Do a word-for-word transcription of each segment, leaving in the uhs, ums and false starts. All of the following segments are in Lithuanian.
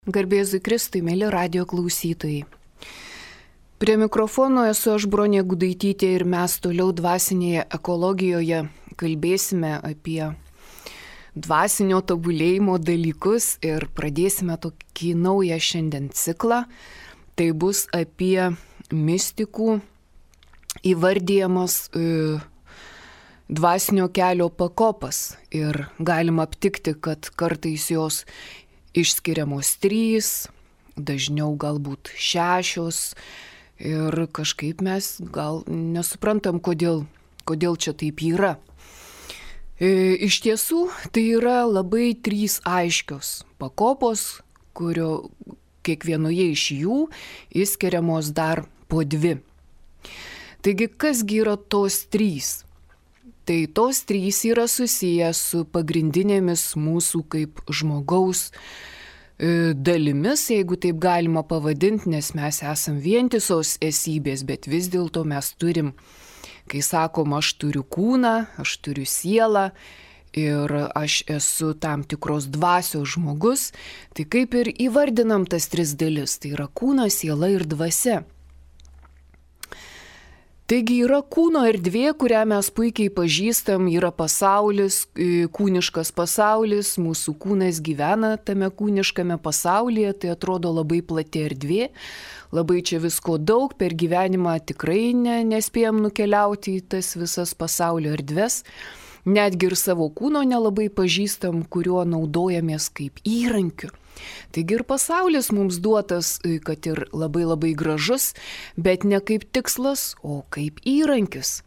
Garbėzui Kristui, mėly radijo klausytojai. Prie mikrofono esu aš Bronė Gudaitytė ir mes toliau dvasinėje ekologijoje kalbėsime apie dvasinio tobulėjimo dalykus ir pradėsime tokį naują šiandien ciklą. Tai bus apie mistikų įvardyjamas e, dvasinio kelio pakopas ir galima aptikti, kad kartais jos išskiriamos trys, dažniau galbūt šešios ir kažkaip mes gal nesuprantam, kodėl, kodėl čia taip yra. E, iš tiesų, tai yra labai trys aiškios pakopos, kurio kiekvienoje iš jų išskiriamos dar po dvi. Taigi, kasgi yra tos trys? Tai tos trys yra susiję su pagrindinėmis mūsų kaip žmogaus e, dalimis, jeigu taip galima pavadinti, nes mes esam vientisos esybės, bet vis dėlto mes turim, kai sakom, aš turiu kūną, aš turiu sielą ir aš esu tam tikros dvasios žmogus, tai kaip ir įvardinam tas tris dalis, tai yra kūnas, siela ir dvasia. Taigi yra kūno erdvė, kurią mes puikiai pažįstam, yra pasaulis, kūniškas pasaulis, mūsų kūnas gyvena tame kūniškame pasaulyje, tai atrodo labai plati erdvė, labai čia visko daug, per gyvenimą tikrai ne, nespėjom nukeliauti į tas visas pasaulio erdves, netgi ir savo kūno nelabai pažįstam, kuriuo naudojamės kaip įrankiu. Taigi ir pasaulis mums duotas, kad ir labai labai gražus, bet ne kaip tikslas, o kaip įrankis.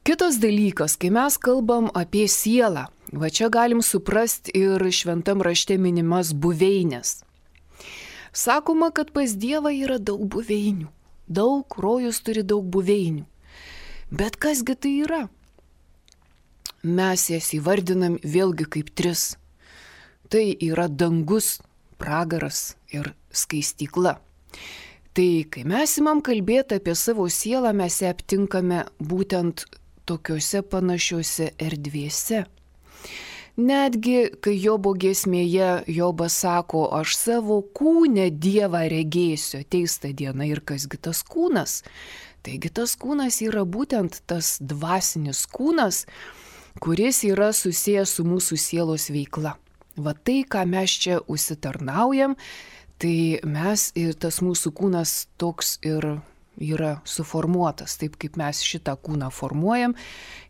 Kitas dalykas, kai mes kalbam apie sielą, va čia galim suprasti ir šventam rašte minimas buveinės. Sakoma, kad pas Dievą yra daug buveinių, daug, rojus turi daug buveinių. Bet kasgi tai yra? Mes jas įvardinam vėlgi kaip tris. Tai yra dangus, pragaras ir skaistykla. Tai kai mes imam kalbėti apie savo sielą, mes ją aptinkame būtent tokiuose panašiuose erdvėse. Netgi, kai Jobo giesmėje Jobas sako, aš savo kūne Dievą regėsiu, ateis ta diena ir kasgi tas kūnas. Taigi tas kūnas yra būtent tas dvasinis kūnas, kuris yra susijęs su mūsų sielos veikla. Va tai, ką mes čia užsitarnaujam, tai mes ir tas mūsų kūnas toks ir yra suformuotas, taip kaip mes šitą kūną formuojam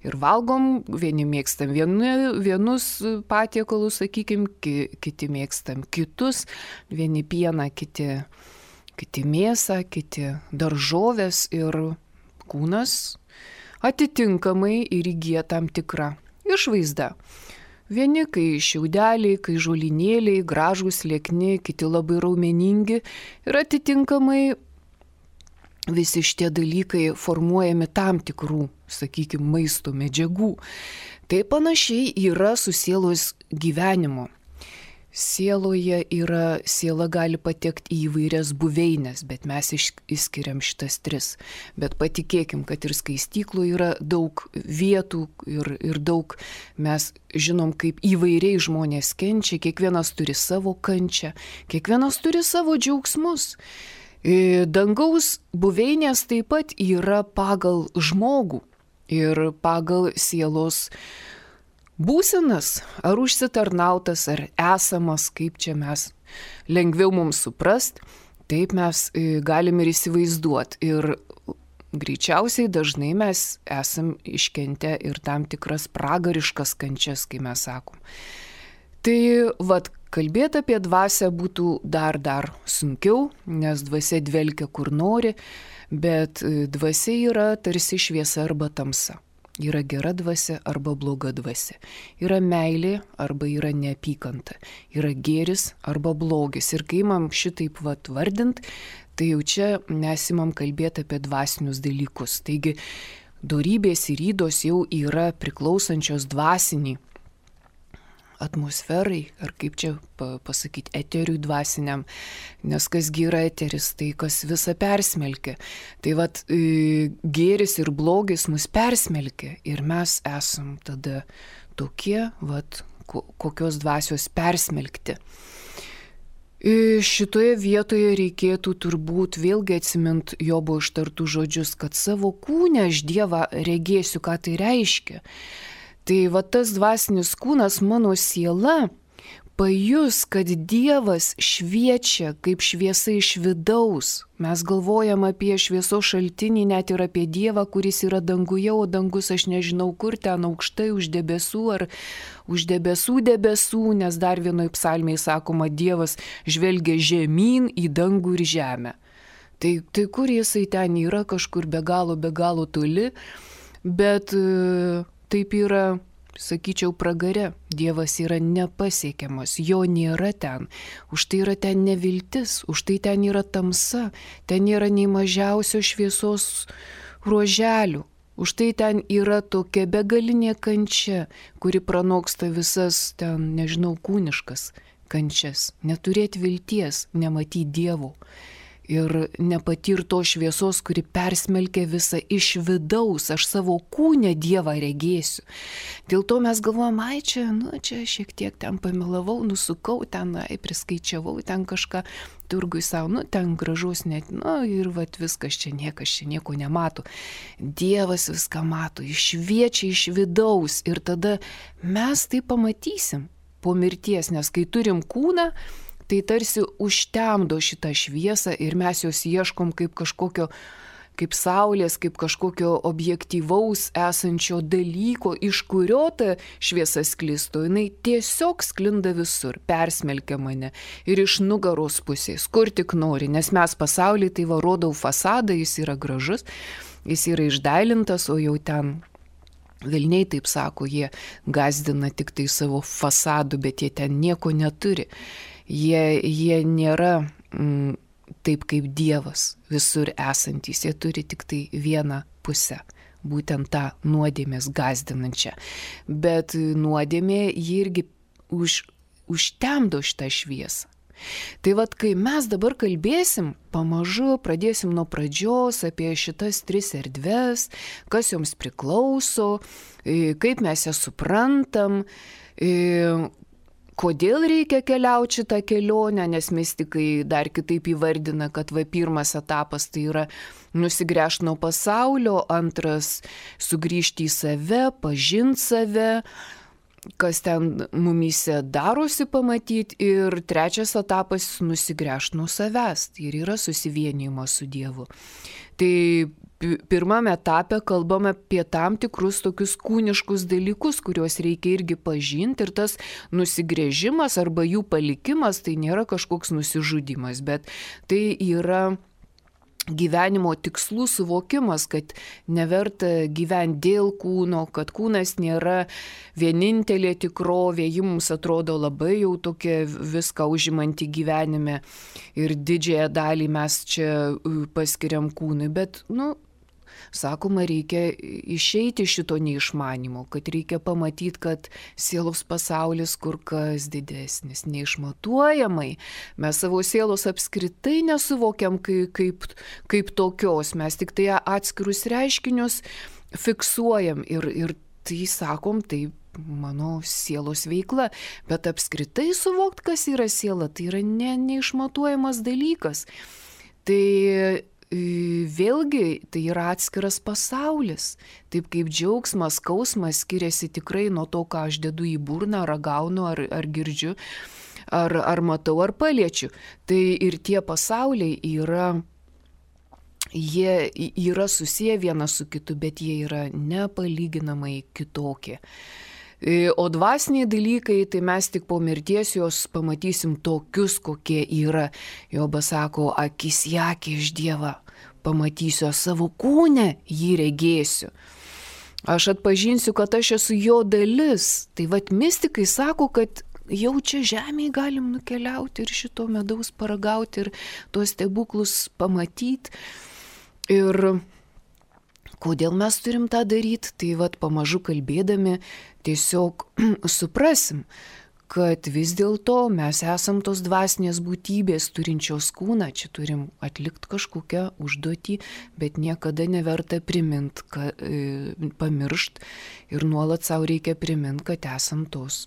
ir valgom, vieni mėgstam vieni, vienus patiekalus, sakykim, ki, kiti mėgstam kitus, vieni pieną, kiti, kiti mėsą, kiti daržovės ir kūnas atitinkamai ir įgyja tam tikrą išvaizdą. Vieni, kai šiaudeliai, kai žolinėliai, gražūs, liekni, kiti labai raumeningi ir atitinkamai visi šitie dalykai formuojami tam tikrų, sakykime, maisto medžiagų. Tai panašiai yra su sielos gyvenimu. Sieloje yra, siela gali patekti į įvairias buveinės, bet mes išskiriam šitas tris. Bet patikėkim, kad ir skaistyklų yra daug vietų ir, ir daug mes žinom, kaip įvairiai žmonės kenčia, kiekvienas turi savo kančią, kiekvienas turi savo džiaugsmus. Dangaus buveinės taip pat yra pagal žmogų ir pagal sielos būsenas, ar užsitarnautas, ar esamas, kaip čia mes lengviau mums suprast, taip mes galim ir įsivaizduoti. Ir greičiausiai dažnai mes esam iškentę ir tam tikras pragariškas kančias, kai mes sakom. Tai vat, kalbėti apie dvasią būtų dar dar sunkiau, nes dvasia dvelkia kur nori, bet dvasia yra tarsi šviesa arba tamsa. Yra gera dvasia arba bloga dvasia. Yra meilė arba yra neapykanta. Yra gėris arba blogis. Ir kai imam šitaip vat vardint, tai jau čia mes imam kalbėti apie dvasinius dalykus. Taigi, dorybės ir ydos jau yra priklausančios dvasiniai atmosferai, ar kaip čia pasakyti, eteriui dvasiniam, nes kasgi yra eteris, tai kas visą persmelkia. Tai vat gėris ir blogis mus persmelkia ir mes esam tada tokie, vat kokios dvasios persmelkti. Šitoje vietoje reikėtų turbūt vėlgi atsimint Jobo ištartų žodžius, kad savo kūne aš Dievą regėsiu, ką tai reiškia. Tai va tas dvasinis kūnas, mano siela, pajus, kad Dievas šviečia kaip šviesa iš vidaus. Mes galvojam apie šviesos šaltinį, net ir apie Dievą, kuris yra danguje, o dangus aš nežinau kur, ten aukštai už debesų ar už debesų debesų, nes dar vienoj psalmėje sakoma, Dievas žvelgia žemyn į dangų ir žemę. Tai, tai kur jisai ten yra, kažkur be galo, be galo toli, bet taip yra, sakyčiau, pragare. Dievas yra nepasiekiamas, jo nėra ten. Už tai yra ten neviltis, už tai ten yra tamsa, ten nėra nei mažiausio šviesos ruoželių. Už tai ten yra tokia begalinė kančia, kuri pranoksta visas ten, nežinau, kūniškas kančias. Neturėti vilties, nematyti Dievo. Ir nepatirto šviesos, kuri persmelkia visą iš vidaus, aš savo kūne Dievą regėsiu. Dėl to mes galvojam, ai čia, nu čia šiek tiek ten pamilavau, nusukau, ten, ai priskaičiavau, ten kažką turgui savo, nu ten gražus net, nu ir vat viskas čia niekas čia nieko nemato. Dievas viską mato, išviečia iš vidaus ir tada mes tai pamatysim po mirties, nes kai turim kūną, tai tarsi užtemdo šitą šviesą ir mes jos ieškom kaip kažkokio, kaip saulės, kaip kažkokio objektyvaus esančio dalyko, iš kurio ta šviesa sklistų. Jinai tiesiog sklinda visur, persmelkia mane ir iš nugaros pusės, kur tik nori, nes mes pasaulyje tai va rodau fasadą, jis yra gražus, jis yra išdailintas, o jau ten velniai taip sako, jie gazdina tik tai savo fasadu, bet jie ten nieko neturi. Jie, jie nėra mm, taip kaip Dievas visur esantys, jie turi tik tai vieną pusę, būtent tą nuodėmės gazdinančią. Bet nuodėmė jį irgi už, užtemdo šitą šviesą. Tai vad, kai mes dabar kalbėsim, pamažu pradėsim nuo pradžios apie šitas tris erdves, kas joms priklauso, kaip mes jas suprantam, kodėl reikia keliauti šitą kelionę, nes mistikai dar kitaip įvardina, kad va pirmas etapas tai yra nusigręžti nuo pasaulio, antras sugrįžti į save, pažinti save, kas ten mumyse darosi pamatyti, ir trečias etapas nusigręžti nuo savęs, tai ir yra susivienijimas su Dievu. Tai pirmame etape kalbame apie tam tikrus tokius kūniškus dalykus, kuriuos reikia irgi pažinti, ir tas nusigręžimas arba jų palikimas tai nėra kažkoks nusižudymas, bet tai yra gyvenimo tikslų suvokimas, kad neverta gyventi dėl kūno, kad kūnas nėra vienintelė tikrovė, ji mums atrodo labai jau tokia viską užimanti gyvenime ir didžiąją dalį mes čia paskiriam kūnui, bet, nu, sakoma, reikia išeiti šito neišmanimo, kad reikia pamatyti, kad sielos pasaulis kur kas didesnis, neišmatuojamai. Mes savo sielos apskritai nesuvokiam kaip, kaip, kaip tokios, mes tik tai atskirus reiškinius fiksuojam ir, ir tai sakom, tai mano sielos veikla, bet apskritai suvokti, kas yra siela, tai yra ne, neišmatuojamas dalykas. Tai vėlgi tai yra atskiras pasaulis, taip kaip džiaugsmas, skausmas skiriasi tikrai nuo to, ką aš dedu į burną, ragaunu ar, ar girdžiu, ar, ar matau, ar paliečiu. Tai ir tie pasauliai yra, jie yra susiję vienas su kitu, bet jie yra nepalyginamai kitokie. O dvasiniai dalykai, tai mes tik po mirties juos pamatysim tokius, kokie yra. Jobas sako, akis į akį iš Dievą pamatysiu, savo kūne jį regėsiu. Aš atpažinsiu, kad aš esu jo dalis. Tai vat mistikai sako, kad jau čia žemėje galim nukeliauti ir šito medaus paragauti ir tuos stebuklus pamatyti. Ir kodėl mes turim tą daryti, tai vat pamažu kalbėdami tiesiog suprasim, kad vis dėlto mes esam tos dvasinės būtybės turinčios kūną, čia turim atlikti kažkokią užduotį, bet niekada neverta primint, kad, e, pamiršt ir nuolat savo reikia primint, kad esam tos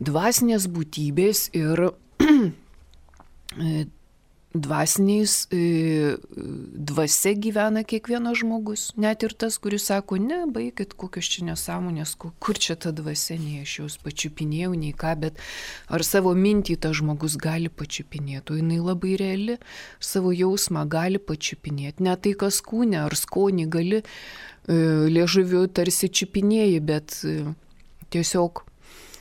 dvasinės būtybės ir dvasiniais, dvasia gyvena kiekvienas žmogus, net ir tas, kuris sako, ne, baikit, kokios čia nesąmonės, kur čia ta dvasia, nei aš jos pačiupinėjau, nei ką, bet ar savo mintį tas žmogus gali pačiupinėti, o jinai labai reali, savo jausmą gali pačiupinėti, ne tai kas kūne ar skonį gali liežuviu tarsi čiupinėjai, bet tiesiog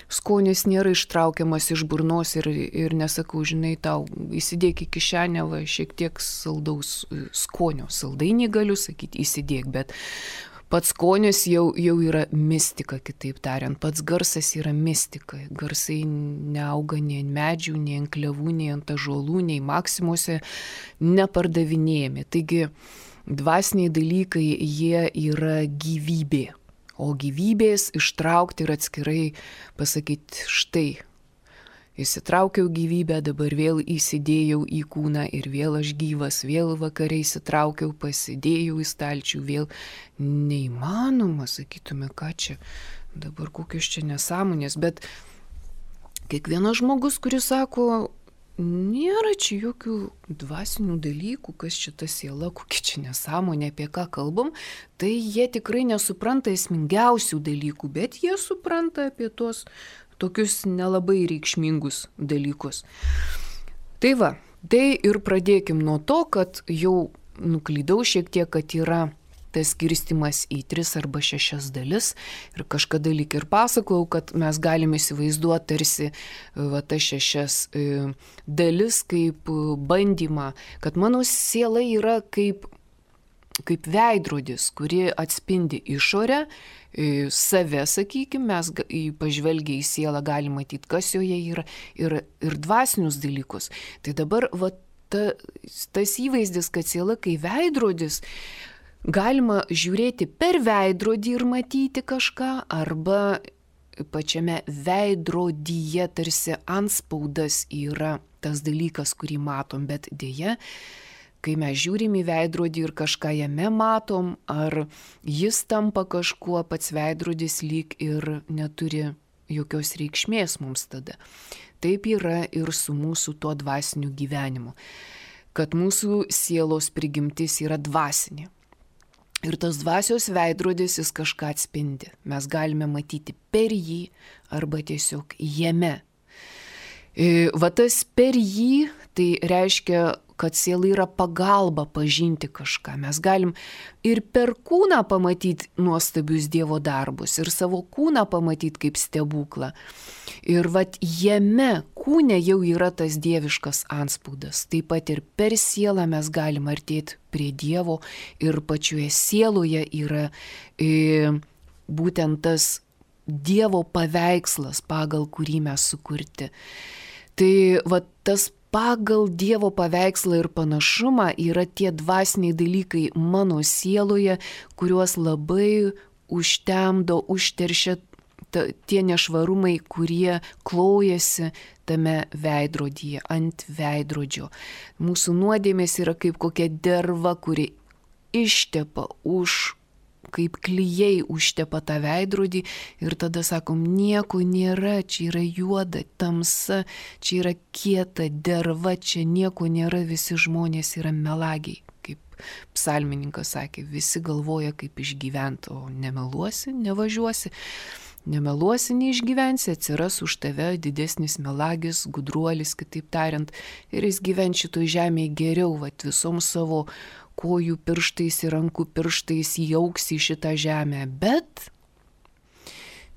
skonis nėra ištraukiamas iš burnos ir, ir nesakau, žinai, tau įsidėk į kišenę va, šiek tiek saldaus skonio. Saldainį galiu sakyti, įsidėk, bet pats skonis jau, jau yra mistika, kitaip tariant. Pats garsas yra mistika. Garsai neauga nei ant medžių, nei ant klevų, nei ant ąžuolų, nei maksimuose nepardavinėjami. Taigi dvasiniai dalykai, jie yra gyvybė. O gyvybės ištraukti ir atskirai pasakyti, štai, įsitraukiau gyvybę, dabar vėl įsidėjau į kūną ir vėl aš gyvas, vėl vakare įsitraukiau, pasidėjau į stalčių, vėl neįmanoma, sakytume, ką čia, dabar kokios čia nesąmonės, bet kiekvienas žmogus, kuris sako, nėra čia jokių dvasinių dalykų, kas čia ta siela, kokia čia nesąmonė, apie ką kalbam, tai jie tikrai nesupranta esmingiausių dalykų, bet jie supranta apie tuos tokius nelabai reikšmingus dalykus. Tai va, tai ir pradėkim nuo to, kad jau nuklydau šiek tiek, kad yra tas skirstimas į tris arba šešias dalis ir kažkada lyg ir pasakojau, kad mes galime įsivaizduoti tarsi va, tas šešias e, dalis kaip bandymą, kad mano siela yra kaip, kaip veidrodis, kuri atspindi išorę, e, save, sakykime, mes pažvelgia į sielą galime matyti, kas joje yra ir, ir dvasinius dalykus. Tai dabar va, ta, tas įvaizdis, kad siela kaip veidrodis, galima žiūrėti per veidrodį ir matyti kažką, arba pačiame veidrodyje tarsi antspaudas yra tas dalykas, kurį matom, bet dėja, kai mes žiūrim į veidrodį ir kažką jame matom, ar jis tampa kažkuo, pats veidrodis lyg ir neturi jokios reikšmės mums tada. Taip yra ir su mūsų tuo dvasiniu gyvenimu, kad mūsų sielos prigimtis yra dvasinė. Ir tas dvasios veidrodis jis kažką atspindi. Mes galime matyti per jį arba tiesiog jame. Va tas per jį, tai reiškia, kad siela yra pagalba pažinti kažką. Mes galim ir per kūną pamatyti nuostabius Dievo darbus, ir savo kūną pamatyti kaip stebuklą. Ir vat jame kūne jau yra tas dieviškas antspaudas. Taip pat ir per sielą mes galim artėti prie Dievo ir pačioje sieloje yra e, būtent tas Dievo paveikslas, pagal kurį mes sukurti. Tai vat tas pagal Dievo paveikslą ir panašumą yra tie dvasiniai dalykai mano sieloje, kuriuos labai užtemdo, užteršia tie nešvarumai, kurie klojasi tame veidrodyje, ant veidrodžio. Mūsų nuodėmės yra kaip kokia derva, kuri ištepa už, kaip klijai užtepa tą veidrodį ir tada sakom, nieko nėra, čia yra juoda, tamsa, čia yra kieta derva, čia nieko nėra, visi žmonės yra melagiai. Kaip psalmininkas sakė, visi galvoja, kaip išgyventi, o nemeluosi, nevažiuosi. Nemeluosi, neišgyvensi, atsiras už tave didesnis melagis, gudruolis, kitaip tariant, ir jis gyvens šitoj žemėje geriau, vat visom savo kojų pirštais ir rankų pirštais įauks į šitą žemę. Bet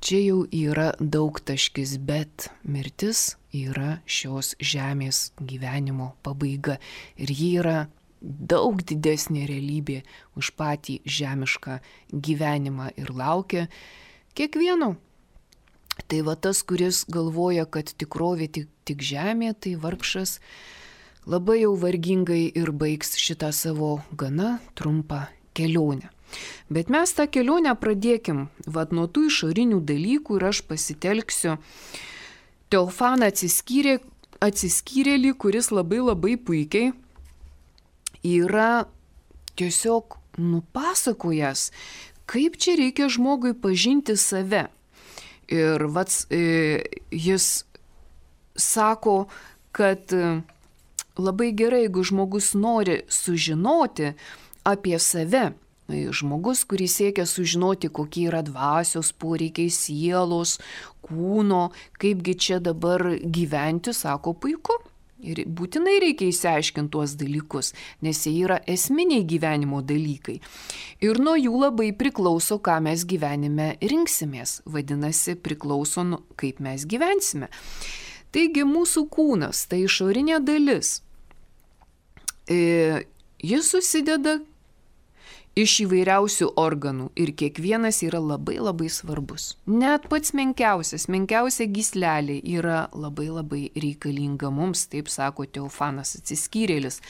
čia jau yra daug taškis, bet mirtis yra šios žemės gyvenimo pabaiga. Ir ji yra daug didesnė realybė už patį žemišką gyvenimą ir laukia kiekvieno. Tai va tas, kuris galvoja, kad tikrovė tik, tik žemė, tai vargšas labai jau vargingai ir baigs šitą savo gana trumpą kelionę. Bet mes tą kelionę pradėkim vat nuo tų išorinių dalykų ir aš pasitelksiu Teofaną atsiskyrė, atsiskyrėlį, kuris labai labai puikiai yra tiesiog nupasakojęs, kaip čia reikia žmogui pažinti save. Ir vats, e, jis sako, kad labai gerai, jeigu žmogus nori sužinoti apie save. Žmogus, kuris siekia sužinoti, kokie yra dvasios poreikiai, sielos, kūno, kaipgi čia dabar gyventi, sako puiku. Ir būtinai reikia išsiaiškinti tuos dalykus, nes jie yra esminiai gyvenimo dalykai. Ir nuo jų labai priklauso, ką mes gyvenime rinksimės. Vadinasi, priklauso, kaip mes gyvensime. Taigi mūsų kūnas, tai išorinė dalis. E, jis susideda iš įvairiausių organų ir kiekvienas yra labai labai svarbus. Net pats menkiausias, menkiausia gyslelė yra labai labai reikalinga mums, taip sako Teofanas Atsiskyrėlis.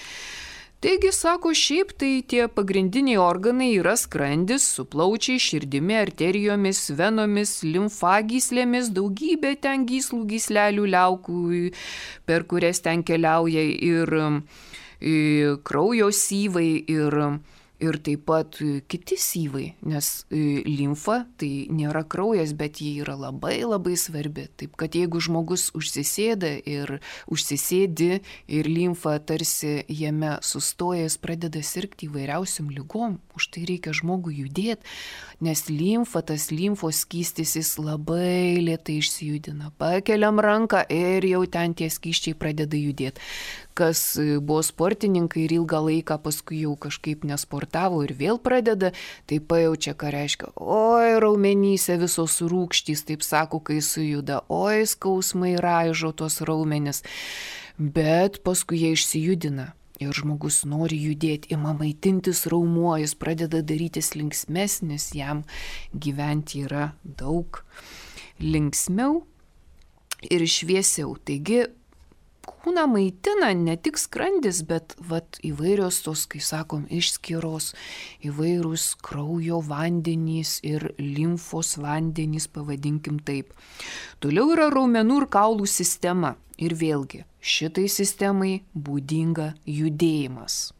Taigi, sako, šiaip tai tie pagrindiniai organai yra skrandis su plaučiais, širdimi, arterijomis, venomis, limfagyslėmis, daugybė ten gyslų, gyslelių, liaukų, per kurias ten keliauja ir, ir kraujo syvai ir Ir taip pat kiti syvai, nes limfa tai nėra kraujas, bet ji yra labai labai svarbi. Taip kad jeigu žmogus užsisėda ir užsisėdi ir limfa tarsi jame sustoja, jis pradeda sirgti įvairiausiam lygom. Už tai reikia žmogui judėti, nes limfa, tas limfos skystis, jis labai lėtai išsijudina. Pakeliam ranką ir jau ten tie skysčiai pradeda judėti. Kas buvo sportininkai ir ilgą laiką paskui jau kažkaip nesportavo ir vėl pradeda, tai pajaučia, ką reiškia. Oi, raumenyse visos rūgštys, taip sako, kai sujuda. Oi, skausmai raižo tos raumenis. Bet paskui jie išsijudina. Ir žmogus nori judėti, ima maitintis raumuo, jis pradeda darytis linksmesnis, jam gyventi yra daug linksmiau ir šviesiau. Taigi, kūną maitina ne tik skrandis, bet vat, įvairios tos, kai sakom, išskyros, įvairūs kraujo vandenys ir limfos vandenys, pavadinkim taip. Toliau yra raumenų ir kaulų sistema. Ir vėlgi, šitai sistemai būdinga judėjimas.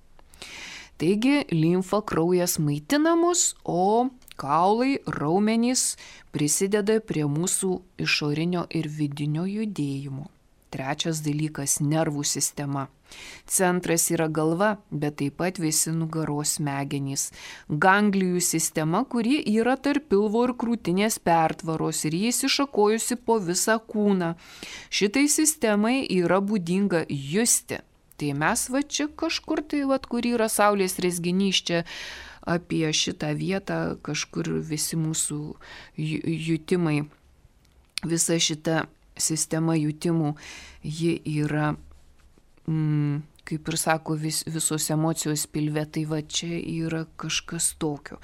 Taigi, limfa, kraujas maitina mus, o kaulai, raumenys prisideda prie mūsų išorinio ir vidinio judėjimo. Trečias dalykas – nervų sistema. Centras yra galva, bet taip pat visi nugaros smegenys. Ganglijų sistema, kuri yra tarp pilvo ir krūtinės pertvaros ir jis iššakojusi po visą kūną. Šitai sistemai yra būdinga justi. Tai mes va čia kažkur tai, va, kur yra saulės rezginys, čia apie šitą vietą kažkur visi mūsų jutimai, visa šita sistema jutimų, ji yra, mm, kaip ir sako, vis, visos emocijos pilve, tai va čia yra kažkas tokio.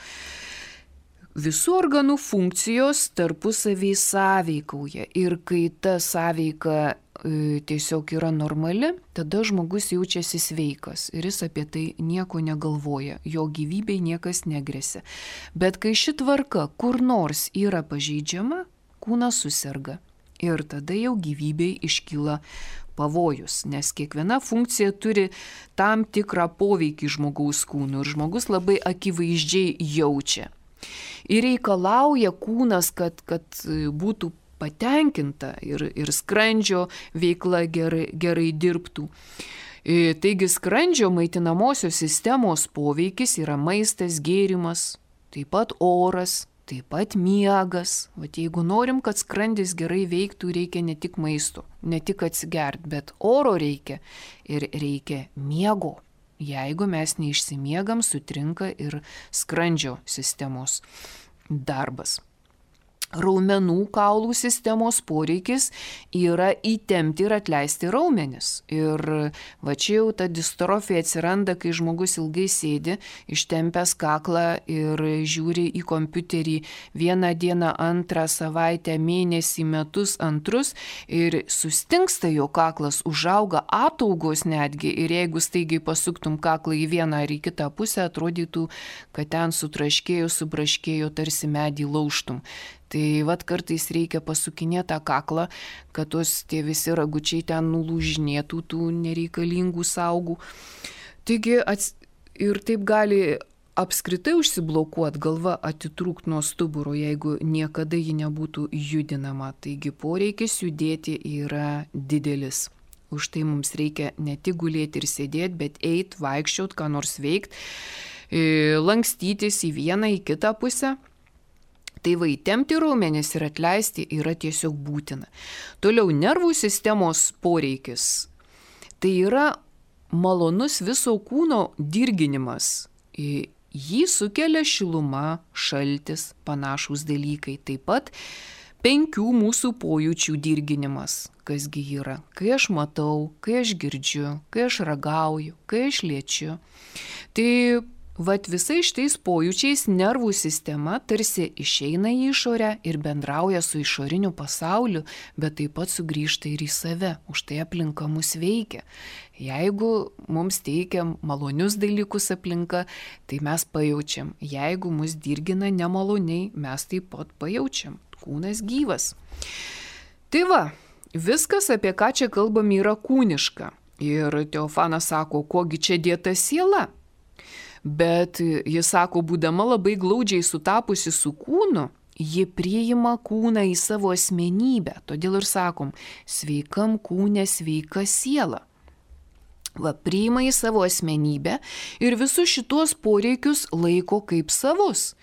Visų organų funkcijos tarpusavį sąveikauja ir kai ta sąveika e, tiesiog yra normali, tada žmogus jaučiasi sveikas ir jis apie tai nieko negalvoja, jo gyvybei niekas negresia. Bet kai ši tvarka kur nors yra pažeidžiama, kūnas suserga. Ir tada jau gyvybei iškyla pavojus, nes kiekviena funkcija turi tam tikrą poveikį žmogaus kūnui ir žmogus labai akivaizdžiai jaučia. Ir reikalauja kūnas, kad, kad būtų patenkinta ir, ir skrandžio veikla gerai, gerai dirbtų. Taigi skrandžio maitinamosios sistemos poveikis yra maistas, gėrimas, taip pat oras, taip pat miegas. Vat jeigu norim, kad skrandis gerai veiktų, reikia ne tik maisto, ne tik atsigert, bet oro reikia ir reikia miego. Jeigu mes neišsimiegam, sutrinka ir skrandžio sistemos darbas. Raumenų kaulų sistemos poreikis yra įtempti ir atleisti raumenis. Ir va čia jau ta distrofija atsiranda, kai žmogus ilgai sėdi, ištempęs kaklą ir žiūri į kompiuterį vieną dieną, antrą savaitę, mėnesį, metus, antrus ir sustingsta jo kaklas, užauga ataugos netgi ir jeigu staigiai pasuktum kaklą į vieną ar į kitą pusę, atrodytų, kad ten sutraškėjo, subraškėjo, tarsi medį laužtum. Tai vat kartais reikia pasukinėti tą kaklą, kad tos tie visi ragučiai ten nulūžinėtų tų nereikalingų saugų. Taigi ats... ir taip gali apskritai užsiblokuoti, galva atitrūkti nuo stuburo, jeigu niekada ji nebūtų judinama. Taigi poreikis judėti yra didelis. Už tai mums reikia ne tik gulėti ir sėdėti, bet eiti, vaikščioti, ką nors veikti, lankstytis į vieną, į kitą pusę. Tai va, įtempti raumenis ir atleisti yra tiesiog būtina. Toliau nervų sistemos poreikis. Tai yra malonus viso kūno dirginimas. Jį sukelia šiluma, šaltis, panašūs dalykai. Taip pat penkių mūsų pojūčių dirginimas. Kasgi yra? Kai aš matau, kai aš girdžiu, kai aš ragauju, kai aš liečiu. Tai vat visais šitais pojūčiais nervų sistema tarsi išeina į išorę ir bendrauja su išoriniu pasauliu, bet taip pat sugrįžta ir į save. Už tai aplinka mus veikia. Jeigu mums teikia malonius dalykus aplinka, tai mes pajaučiam. Jeigu mus dirgina nemaloniai, mes taip pat pajaučiam. Kūnas gyvas. Tai va, viskas, apie ką čia kalbam, yra kūniška. Ir Teofanas sako, kogi čia dėta siela. Bet jis sako, būdama labai glaudžiai sutapusi su kūnu, ji priima kūną į savo asmenybę. Todėl ir sakom, sveikam kūne sveika siela. Va, priima į savo asmenybę ir visus šitos poreikius laiko kaip savus.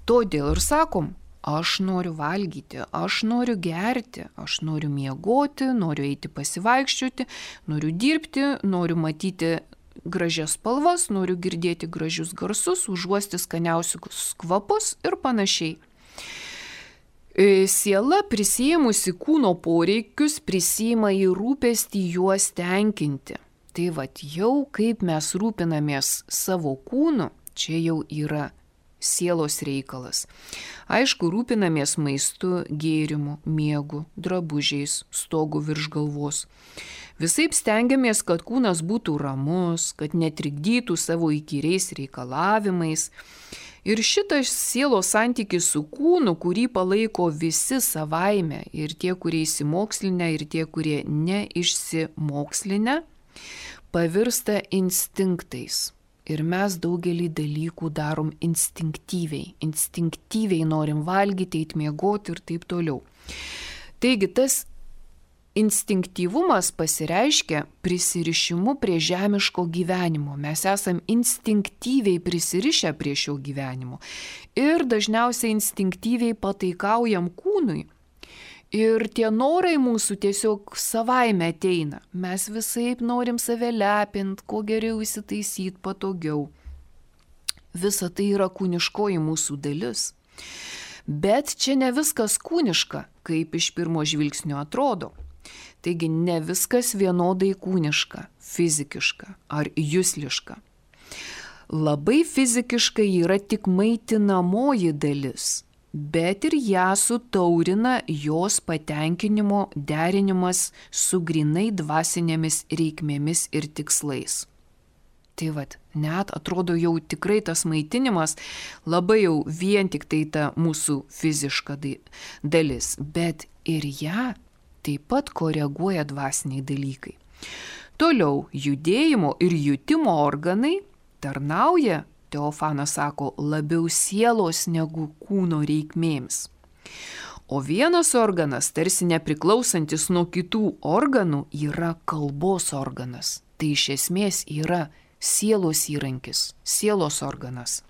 Todėl ir sakom, aš noriu valgyti, aš noriu gerti, aš noriu miegoti, noriu eiti pasivaikščioti, noriu dirbti, noriu matyti gražias spalvas, noriu girdėti gražius garsus, užuosti skaniausius kvapus ir panašiai. Siela prisėmusi kūno poreikius prisima į rūpestį juos tenkinti. Tai vat jau kaip mes rūpinamės savo kūnu, čia jau yra sielos reikalas. Aišku, rūpinamės maistu, gėrimu, miegu, drabužiais, stogu virš galvos. Visaip stengiamės, kad kūnas būtų ramus, kad netrikdytų savo įkyriais reikalavimais. Ir šitas sielos santykis su kūnu, kurį palaiko visi savaime, ir tie, kurie įsimokslinę, ir tie, kurie neišsimokslinę, pavirsta instinktais. Ir mes daugelį dalykų darom instinktyviai. Instinktyviai norim valgyti, eit miegoti ir taip toliau. Taigi tas instinktyvumas pasireiškia prisirišimu prie žemiško gyvenimo. Mes esam instinktyviai prisirišę prie šio gyvenimo. Ir dažniausiai instinktyviai pataikaujam kūnui. Ir tie norai mūsų tiesiog savaime ateina. Mes visaip norim save lepint, kuo geriau įsitaisyti, patogiau. Visa tai yra kūniškoji mūsų dalis. Bet čia ne viskas kūniška, kaip iš pirmo žvilgsnio atrodo. Taigi ne viskas vienodai kūniška, fizikiška ar jusliška. Labai fizikiškai yra tik maitinamoji dalis, bet ir ją sutaurina jos patenkinimo derinimas su grinai dvasinėmis reikmėmis ir tikslais. Tai vat, net atrodo jau tikrai tas maitinimas labai jau vien tik tai ta mūsų fiziška dalis, bet ir ją taip pat koreguoja dvasiniai dalykai. Toliau, judėjimo ir jutimo organai tarnauja, Teofanas sako, labiau sielos negu kūno reikmėms. O vienas organas, tarsi nepriklausantis nuo kitų organų, yra kalbos organas. Tai iš esmės yra sielos įrankis, sielos organas.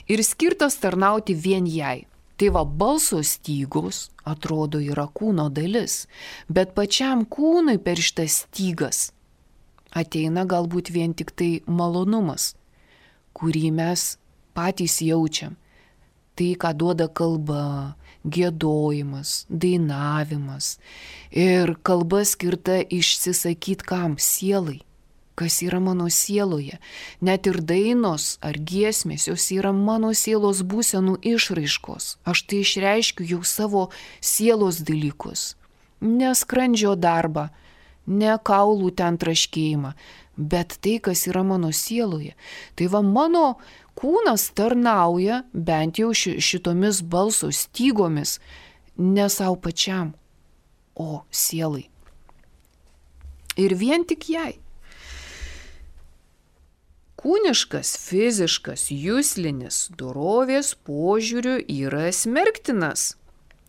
Ir skirtas tarnauti vien jai. Tai va, balso stygos, atrodo, yra kūno dalis, bet pačiam kūnui per šitas stygas ateina galbūt vien tik tai malonumas, kurį mes patys jaučiam. Tai, ką duoda kalba, giedojimas, dainavimas. Ir kalba skirta išsisakyti kam? Sielai. Kas yra mano sieloje. Net ir dainos ar giesmės, jos yra mano sielos būsenų išraiškos. Aš tai išreiškiu jau savo sielos dalykus. Ne skrandžio darbą, ne kaulų ten traškėjimą, bet tai, kas yra mano sieloje. Tai va, mano kūnas tarnauja bent jau šitomis balso stygomis ne savo pačiam, o sielai. Ir vien tik jai. Kūniškas, fiziškas, juslinis dorovės požiūriu yra smerktinas.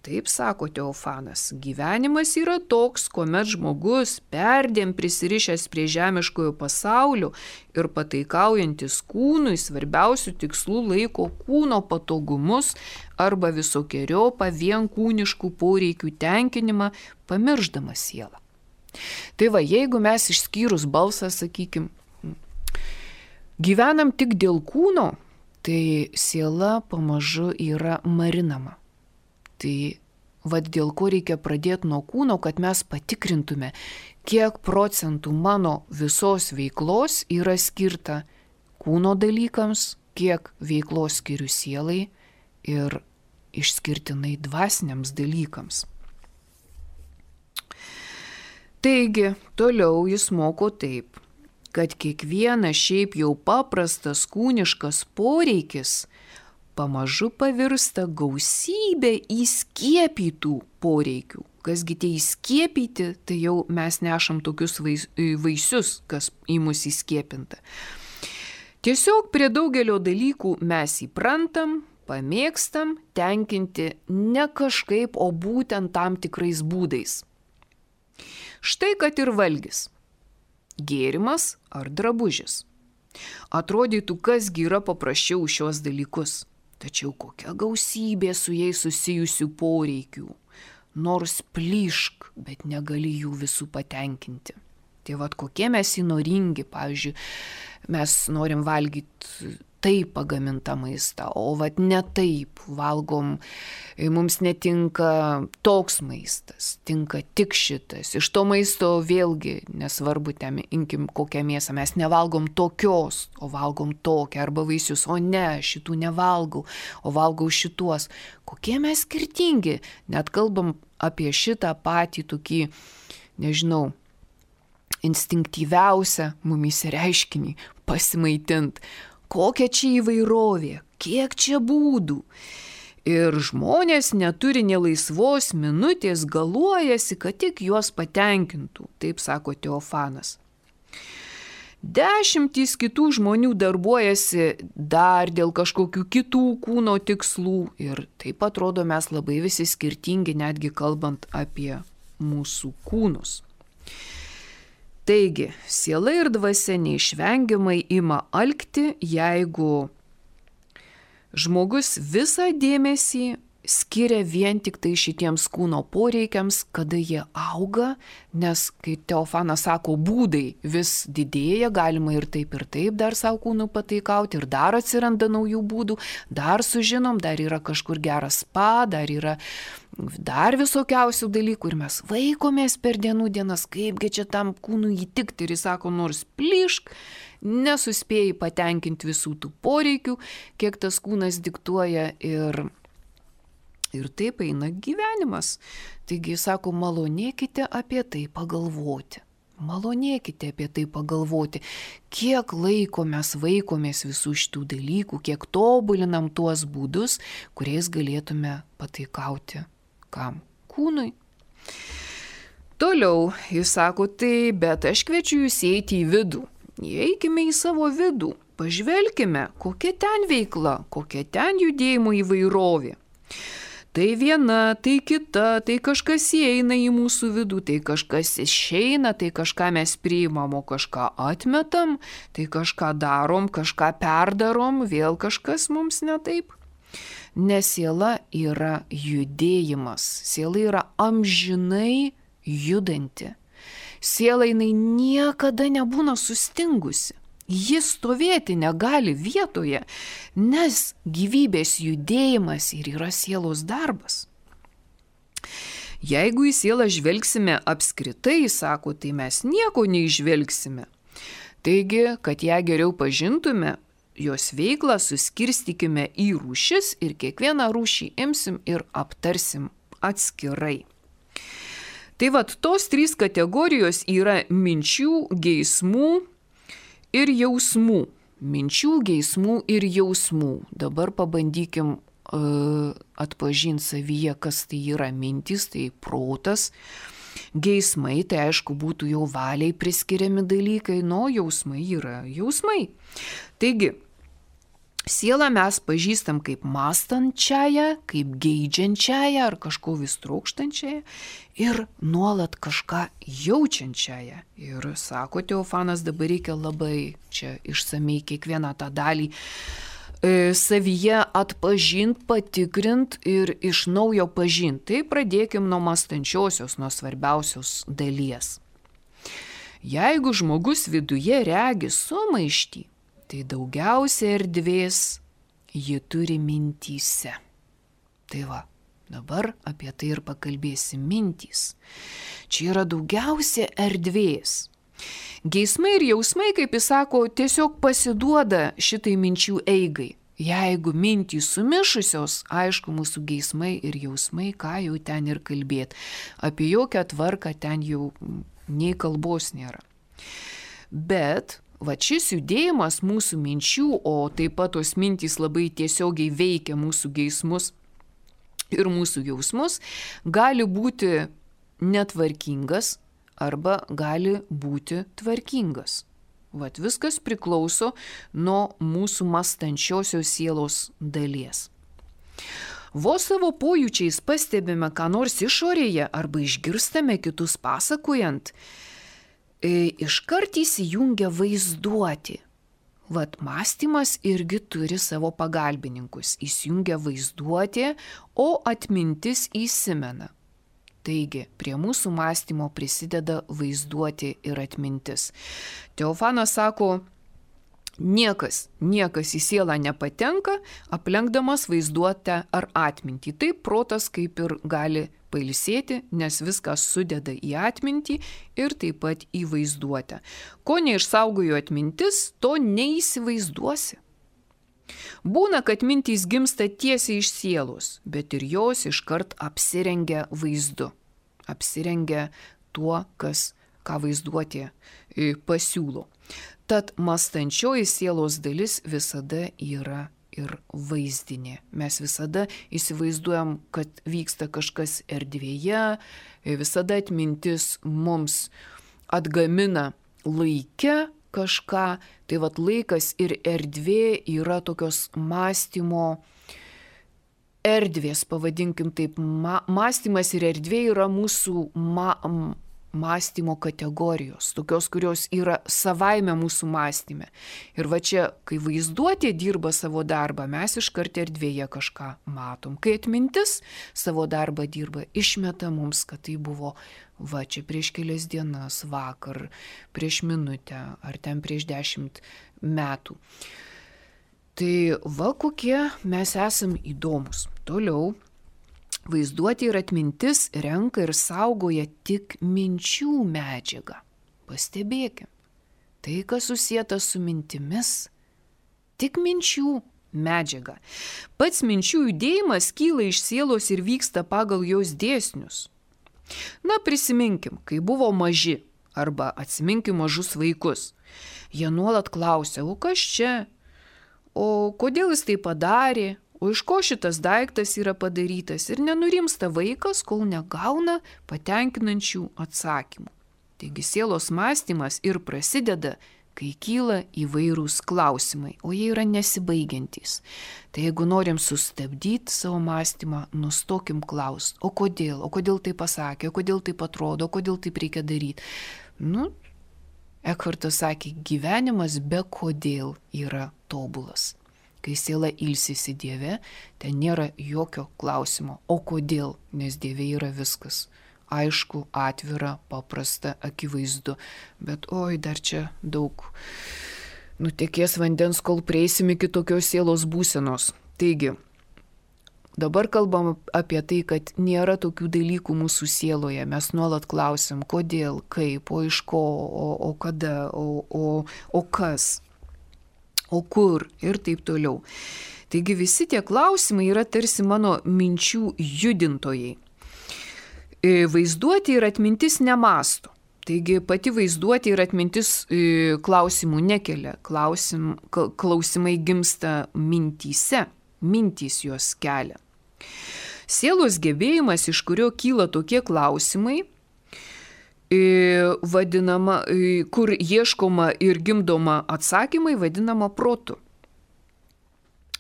Taip sako Teofanas, gyvenimas yra toks, kuomet žmogus perdėm prisirišęs prie žemiškojo pasaulio ir pataikaujantis kūnui svarbiausių tikslų laiko kūno patogumus arba visokiojopą vien kūniškų poreikių tenkinimą, pamiršdamas sielą. Tai va, jeigu mes išskyrus balsą, sakykim, gyvenam tik dėl kūno, tai siela pamažu yra marinama. Tai vad dėl ko reikia pradėti nuo kūno, kad mes patikrintume, kiek procentų mano visos veiklos yra skirta kūno dalykams, kiek veiklos skiriu sielai ir išskirtinai dvasiniams dalykams. Taigi, toliau jis moko taip, kad kiekvienas šiaip jau paprastas kūniškas poreikis pamažu pavirsta gausybė įskiepytų poreikių. Kasgi tie įskiepyti, tai jau mes nešam tokius vaisius, kas į mus įskiepinta. Tiesiog prie daugelio dalykų mes įprantam, pamėgstam tenkinti ne kažkaip, o būtent tam tikrais būdais. Štai kad ir valgis, gėrimas ar drabužis. Atrodytų, kasgi yra paprasčiau šios dalykus. Tačiau kokia gausybė su jais susijusių poreikių. Nors plyšk, bet negali jų visų patenkinti. Tai vad kokie mes įnoringi, pavyzdžiui, mes norim valgyti taip pagamintą maistą, o vad ne taip valgom, mums netinka toks maistas, tinka tik šitas. Iš to maisto vėlgi, nesvarbu, ten imkim kokią mėsą, mes nevalgom tokios, o valgom tokią, arba vaisius, o ne, šitų nevalgau, o valgau šituos. Kokie mes skirtingi, net kalbam apie šitą patį tokį, nežinau, instinktyviausią mumyse reiškinį – pasimaitint. Kokia čia įvairovė, kiek čia būdų. Ir žmonės neturi nė laisvos minutės, galuojasi, kad tik juos patenkintų, taip sako Teofanas. Dešimtys kitų žmonių darbuojasi dar dėl kažkokių kitų kūno tikslų ir taip atrodo mes labai visi skirtingi, netgi kalbant apie mūsų kūnus. Taigi, siela ir dvasia neišvengiamai ima alkti, jeigu žmogus visą dėmesį skiria vien tik tai šitiems kūno poreikiams, kada jie auga, nes, kai Teofanas sako, būdai vis didėja, galima ir taip ir taip dar savo kūnų pataikauti, ir dar atsiranda naujų būdų, dar sužinom, dar yra kažkur geras spa, dar yra dar visokiausių dalykų ir mes vaikomės per dienų dienas, kaipgi čia tam kūnui įtikti, ir jis sako, nors plyšk, nesuspėjai patenkinti visų tų poreikių, kiek tas kūnas diktuoja ir Ir taip eina gyvenimas. Taigi, sako, malonėkite apie tai pagalvoti. Malonėkite apie tai pagalvoti, kiek laiko mes vaikomės visų šitų dalykų, kiek tobulinam tuos būdus, kuriais galėtume pataikauti kam? Kūnui. Toliau, jis sako, tai, bet aš kviečiu jūs eiti į vidų. Įeikime į savo vidų, pažvelkime, kokia ten veikla, kokia ten judėjimo įvairovė. Tai viena, tai kita, tai kažkas įeina į mūsų vidų, tai kažkas išeina, tai kažką mes priimam, o kažką atmetam, tai kažką darom, kažką perdarom, vėl kažkas mums ne taip. Nes siela yra judėjimas, siela yra amžinai judanti. Siela jinai niekada nebūna sustingusi. Jis stovėti negali vietoje, nes gyvybės judėjimas ir yra sielos darbas. Jeigu į sielą žvelgsime apskritai, sako, tai mes nieko neižvelgsime. Taigi, kad ją geriau pažintume, jos veiklą suskirstykime į rūšis ir kiekvieną rūšį imsim ir aptarsim atskirai. Tai vat, tos trys kategorijos yra minčių, geismų ir jausmų. Minčių, geismų ir jausmų. Dabar pabandykim uh, atpažinti savyje, kas tai yra mintis, tai protas. Geismai, tai aišku, būtų jau valiai priskiriami dalykai, no jausmai yra jausmai. Taigi, Sielą mes pažįstam kaip mąstančiąją, kaip geidžiančiąją ar kažko vis trokštančiąją ir nuolat kažką jaučiančiąją. Ir sako Teofanas, dabar reikia labai čia išsamei kiekvieną tą dalį e, savyje atpažint, patikrint ir iš naujo pažint. Tai pradėkim nuo mąstančiosios, nuo svarbiausios dalies. Jeigu žmogus viduje regi sumaištį, tai daugiausia erdvės ji turi mintyse. Tai va, dabar apie tai ir pakalbėsim mintys. Čia yra daugiausia erdvės. Geismai ir jausmai, kaip jis sako, tiesiog pasiduoda šitai minčių eigai. Jeigu mintys sumišusios, aišku, mūsų geismai ir jausmai, ką jau ten ir kalbėt. Apie jokią tvarką ten jau nei kalbos nėra. Bet va šis judėjimas mūsų minčių, o taip pat tos mintys labai tiesiogiai veikia mūsų geismus ir mūsų jausmus, gali būti netvarkingas arba gali būti tvarkingas. Vat viskas priklauso nuo mūsų mąstančiosios sielos dalies. Vos savo pojūčiais pastebime, ką nors išorėje arba išgirstame kitus pasakojant, iškart įsijungia vaizduoti. Vat mąstymas irgi turi savo pagalbininkus. Įsijungia vaizduoti, o atmintis įsimena. Taigi, prie mūsų mąstymo prisideda vaizduoti ir atmintis. Teofanas sako, niekas, niekas į sielą nepatenka, aplenkdamas vaizduotę ar atmintį. Taip protas kaip ir gali pailsėti, nes viskas sudeda į atmintį ir taip pat į vaizduotę. Ko neišsaugojo atmintis, to neįsivaizduosi. Būna, kad mintys gimsta tiesiai iš sielos, bet ir jos iškart apsirengia vaizdu. Apsirengia tuo, kas, ką vaizduotė pasiūlo. Tad mąstančioji sielos dalis visada yra ir vaizdinė. Mes visada įsivaizduojam, kad vyksta kažkas erdvėje, visada atmintis mums atgamina laike kažką. Tai vat laikas ir erdvė yra tokios mąstymo erdvės, pavadinkim taip. Ma, mąstymas ir erdvė yra mūsų ma, mąstymo kategorijos, tokios, kurios yra savaime mūsų mąstyme. Ir va čia, kai vaizduotė dirba savo darbą, mes iškart erdvėje kažką matom. Kai atmintis savo darbą dirba, išmeta mums, kad tai buvo va čia prieš kelias dienas, vakar, prieš minutę ar ten prieš dešimt metų. Tai va kokie mes esam įdomus. Toliau. Vaizduotė ir atmintis renka ir saugoja tik minčių medžiagą. Pastebėkim, tai, kas susieta su mintimis, tik minčių medžiaga. Pats minčių judėjimas kyla iš sielos ir vyksta pagal jos dėsnius. Na, prisiminkim, kai buvo maži, arba atsiminkim mažus vaikus. Jie nuolat klausia, o kas čia, o kodėl jis tai padarė, o iš ko šitas daiktas yra padarytas, ir nenurimsta vaikas, kol negauna patenkinančių atsakymų. Taigi sielos mąstymas ir prasideda, kai kyla įvairūs klausimai, o jie yra nesibaigiantys. Tai jeigu norim sustabdyti savo mąstymą, nustokim klaust, o kodėl, o kodėl tai pasakė, o kodėl taip atrodo, o kodėl taip reikia daryti. Nu, Ekhartas sakė, gyvenimas be kodėl yra tobulas. Kai siela ilsisi Dieve, ten nėra jokio klausimo. O kodėl? Nes Dieve yra viskas. Aišku, atvira, paprasta, akivaizdu. Bet oi, dar čia daug nutekės vandens, kol prieisim iki tokios sielos būsenos. Taigi, dabar kalbam apie tai, kad nėra tokių dalykų mūsų sieloje. Mes nuolat klausim, kodėl, kaip, o iš ko, o, o kada, o, o, o kas. O kur ir taip toliau. Taigi visi tie klausimai yra tarsi mano minčių judintojai. Vaizduotė ir atmintis nemąsto. Taigi pati vaizduotė ir atmintis klausimų nekelia. Klausim, klausimai gimsta mintyse, mintys juos kelia. Sielos gebėjimas, iš kurio kyla tokie klausimai, vadinama, kur ieškoma ir gimdoma atsakymai, vadinama protu.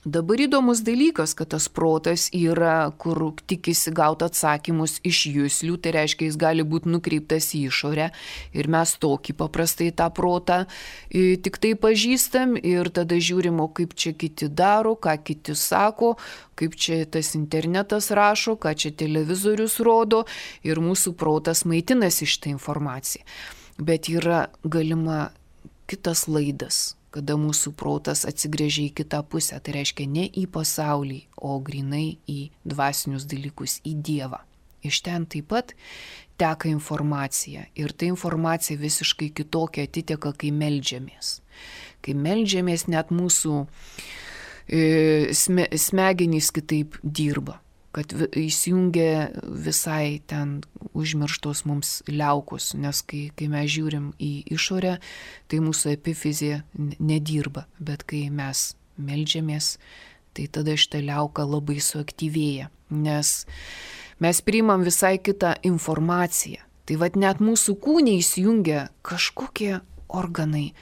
Dabar įdomus dalykas, kad tas protas yra, kur tikisi gauti atsakymus iš juslių, tai reiškia, jis gali būti nukreiptas į išorę ir mes tokį paprastai tą protą tik tai pažįstam ir tada žiūrim, o kaip čia kiti daro, ką kiti sako, kaip čia tas internetas rašo, ką čia televizorius rodo ir mūsų protas maitinasi šitą informaciją. Bet yra galima kitas laidas, kada mūsų protas atsigręžia į kitą pusę, tai reiškia ne į pasaulį, o grinai į dvasinius dalykus, į Dievą. Iš ten taip pat teka informacija ir ta informacija visiškai kitokia atiteka, kai meldžiamės. Kai meldžiamės, net mūsų e, sme, smegenys kitaip dirba, kad įsijungia visai ten užmirštos mums liaukos, nes kai, kai mes žiūrim į išorę, tai mūsų epifizija nedirba, bet kai mes meldžiamės, tai tada šitą liauką labai suaktyvėja, nes mes priimam visai kitą informaciją. Tai vat net mūsų kūne įsijungia kažkokie organai,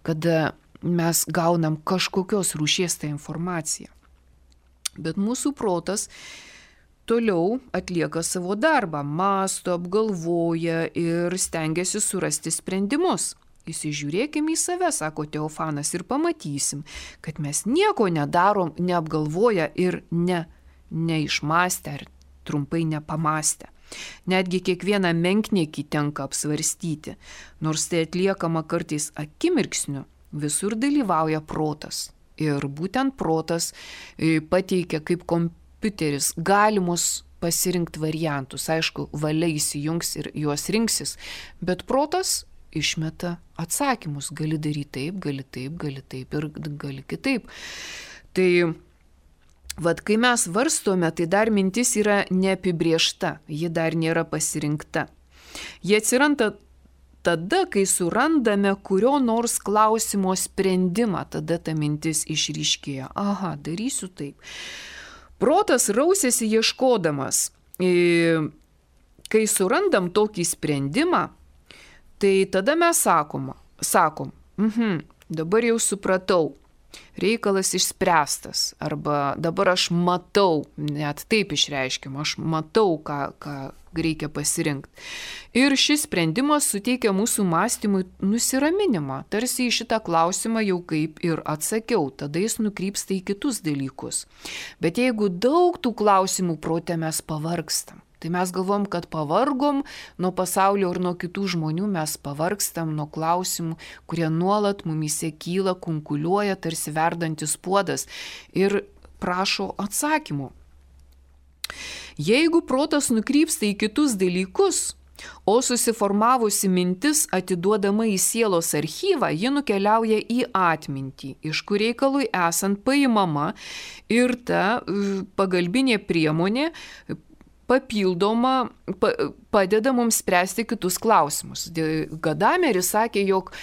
kada mes gaunam kažkokios rūšies tą informaciją. Bet mūsų protas toliau atlieka savo darbą, mąsto, apgalvoja ir stengiasi surasti sprendimus. Įsižiūrėkime į save, sako Teofanas, ir pamatysim, kad mes nieko nedarom, neapgalvoja ir ne, neišmastę ar trumpai nepamastę. Netgi kiekvieną menkniekį tenka apsvarstyti, nors tai atliekama kartais akimirksniu, visur dalyvauja protas. Ir būtent protas pateikia kaip kompiuteris kompiuteris galimus pasirinkti variantus. Aišku, valia įsijungs ir juos rinksis, bet protas išmeta atsakymus. Gali daryti taip, gali taip, gali taip ir gali kitaip. Tai vat, kai mes varstome, tai dar mintis yra neapibriešta, ji dar nėra pasirinkta. Jie atsiranda tada, kai surandame kurio nors klausimo sprendimą, tada ta mintis išryškėja. Aha, darysiu taip. Protas rausėsi ieškodamas. Kai surandam tokį sprendimą, tai tada mes sakom, sakom mhm, dabar jau supratau, reikalas išspręstas, arba dabar aš matau, net taip išreiškiam, aš matau, ką, ką reikia pasirinkti. Ir šis sprendimas suteikia mūsų mąstymui nusiraminimą, tarsi į šitą klausimą jau kaip ir atsakiau, tada jis nukrypsta į kitus dalykus. Bet jeigu daug tų klausimų prote mes pavargstam, tai mes galvom, kad pavargom nuo pasaulio ir nuo kitų žmonių, mes pavargstam nuo klausimų, kurie nuolat mumyse kyla, kunkuliuoja, tarsi verdantis puodas ir prašo atsakymų. Jeigu protas nukrypsta į kitus dalykus, o susiformavusi mintis atiduodama į sielos archyvą, ji nukeliauja į atmintį, iš kur reikalui esant paimama ir ta pagalbinė priemonė papildoma, pa, padeda mums spręsti kitus klausimus. Gadameris sakė, jog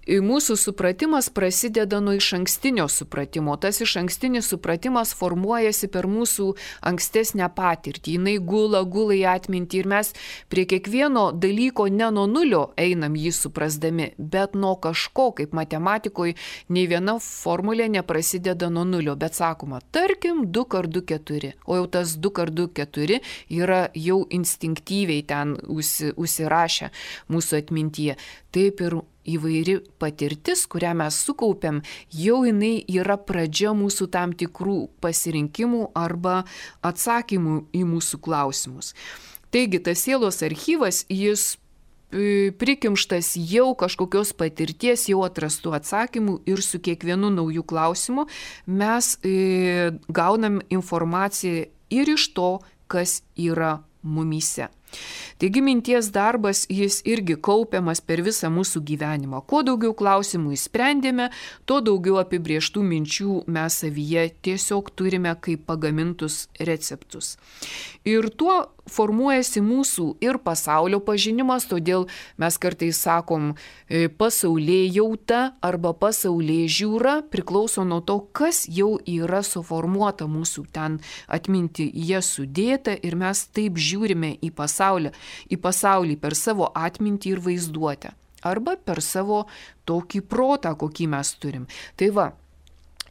mūsų supratimas prasideda nuo išankstinio supratimo. Tas išankstinis supratimas formuojasi per mūsų ankstesnę patirtį. Jis gula, gula į atmintį ir mes prie kiekvieno dalyko ne nuo nulio einam jį suprasdami, bet nuo kažko, kaip matematikoje, nei viena formulė neprasideda nuo nulio, bet sakoma, tarkim, du kart du keturi, o jau tas du kart du keturi yra jau instinktyviai ten užsi, užsirašę mūsų atmintyje. Taip ir įvairi patirtis, kurią mes sukaupiam, jau jinai yra pradžia mūsų tam tikrų pasirinkimų arba atsakymų į mūsų klausimus. Taigi, tas sielos archyvas, jis prikimštas jau kažkokios patirties, jau atrastų atsakymų ir su kiekvienu naujų klausimu mes e, gaunam informaciją ir iš to, kas yra mumyse. Taigi minties darbas, jis irgi kaupiamas per visą mūsų gyvenimą. Kuo daugiau klausimų įsprendėme, tuo daugiau apibrieštų minčių mes savyje tiesiog turime kaip pagamintus receptus. Ir tuo formuojasi mūsų ir pasaulio pažinimas, todėl mes kartais sakom pasaulėjauta arba pasaulėžiūra priklauso nuo to, kas jau yra suformuota mūsų ten atmintyje sudėta ir mes taip žiūrime į pasaulį, į pasaulį per savo atmintį ir vaizduotę arba per savo tokį protą, kokį mes turim. Tai va,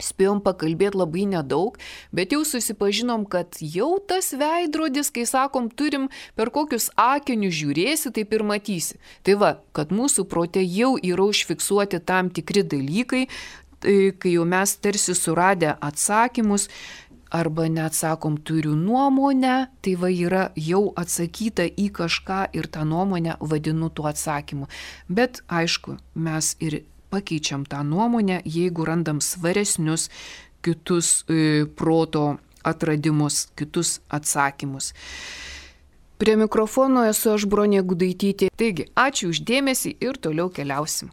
Spėjom pakalbėti labai nedaug, bet jau susipažinom, kad jau tas veidrodis, kai sakom, turim per kokius akinius žiūrėsi, taip ir matysi. Tai va, kad mūsų prote jau yra užfiksuoti tam tikri dalykai, kai jau mes tarsi suradę atsakymus, arba net sakom, turiu nuomonę, tai va yra jau atsakyta į kažką ir tą nuomonę vadinu tuo atsakymu. Bet aišku, mes ir pakeičiam tą nuomonę, jeigu randam svaresnius kitus e, proto atradimus, kitus atsakymus. Prie mikrofono esu aš, Bronė Gudaitytė. Taigi, ačiū už dėmesį ir toliau keliausim.